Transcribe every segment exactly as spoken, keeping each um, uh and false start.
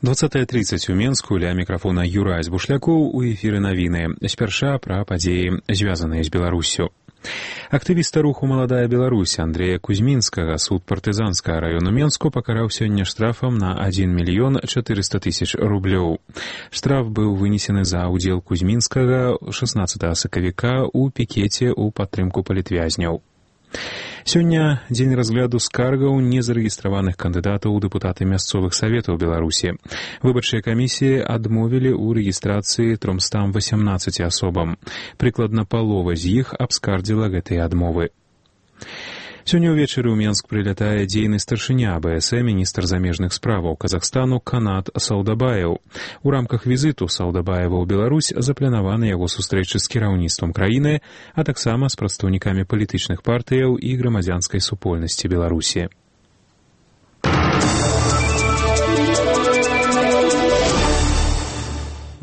двадцатая тридцать у Менску, ля мікрафона Юрай Збушлякоў, у эфіры навіны. Спярша пра падзеі, звязаныя з Беларуссю. Актывіста руху «Маладая Беларусь» Андрея Кузьмінскага суд партызанскага району Менску пакараў сёння штрафам на адзін мільён чатырыста тысяч рублёў. Штраф быў вынесены за ўдзел Кузьмінскага шаснаццатага сакавіка ў пікеце ў падтрымку палітвязняў. Сёння дзень разгляду скаргаў незарэгістраваных кандыдатаў у дэпутаты мясцовых саветаў Беларусі. Выбарчыя камісіі адмовілі ў рэгістрацыі трёмстам васямнаццаці асобам. Прыкладна палова з іх абскардзіла гэтыя адмовы. Сёння ўвечары ў Менск прылятае дзейны старшыня АБС, міністр замежных справаў Казахстану Канат Саўдабаеў. У рамках візіту Саўдабаева ў Беларусь запланаваны яго сустрэчы з кіраўніцтвам краіны, а таксама з прадстаўнікамі палітычных партыяў і грамадзянскай супольнасці Беларусі.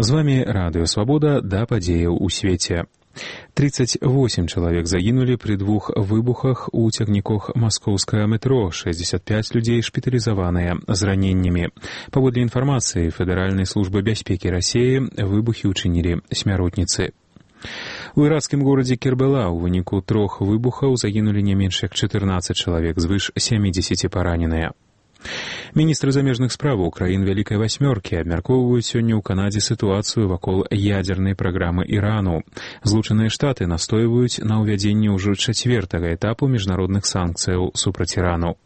З вамі Радыё Свабода, да падзеяў у свеце. тридцать восемь чалавек загінулі пры двух выбухах у цягніках маскоўскага метро, шэсцьдзесят пять людзей шпіталізаваныя з раненнямі. Паводле інфармацыі Федэральнай службы бяспекі Расіі, выбухі ўчынілі смяротніцы. У іракскім горадзе Кербала ў выніку трох выбухаў загінулі не менш як чатырнаццаць чалавек, звыш сямідзесяці параненыя. Міністры замежных справаў краін Вялікай Васьмёркі абмяркоўваюць сёння ў Канадзе сітуацыю вакол ядзернай праграмы Ірану. Злучаныя Штаты настойваюць на ўвядзенні ўжо чацвёртага этапу міжнародных санкцыяў супраць Ірану.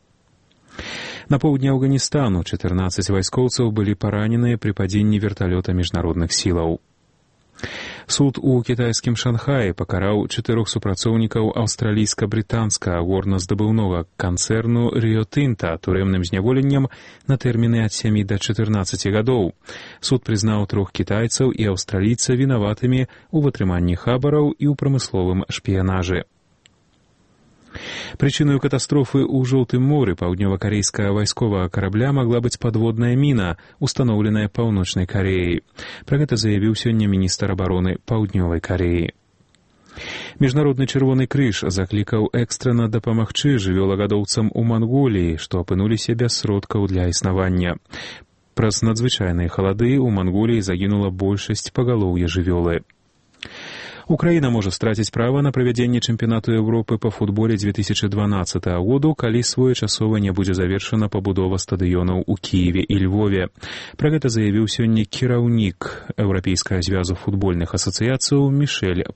На поўдні Афганістану чатырнаццаць вайскоўцаў былі параненыя пры падзенні верталёта міжнародных сілаў. Суд у кітайскім Шанхаі пакараў чатырох супрацоўнікаў аўстралійска-брытанскага горназдабыўнога канцэрну Rio Tinto турэмным зняволеннем на тэрміны ад сямі да чатырнаццаці гадоў. Суд прызнаў трох кітайцаў і аўстралійца вінаватымі ў вытрыманні хабараў і ў прамысловым шпіянажы. Прычынаю катастрофы ў Жоўтым моры паўднёва-карэйскага вайсковага карабля магла быць падводная міна, устаноўленая Паўночнай Кареяй. Пра гэта заявіў сёння міністр абароны Паўднёвай Кареі. Міжнародны чырвоны крыж заклікаў экстрана дапамагчы жывёлагадоўцам у Манголіі, што апынуліся без сродкаў для існавання. Праз надзвычайныя халады ў Манголіі загінула большасць пагалоўя жывёлы. Украіна можа страціць права на правядзенне чэмпіянату Еўропы па футболе две тысячи дванаццатага году, калі своечасова не будзе завершана пабудова стадыёнаў у Кіеве і Львове. Пра гэта заявіў сёння кіраўнік Еўрапейскага звязу футбольных асацыяцыяў Мішэль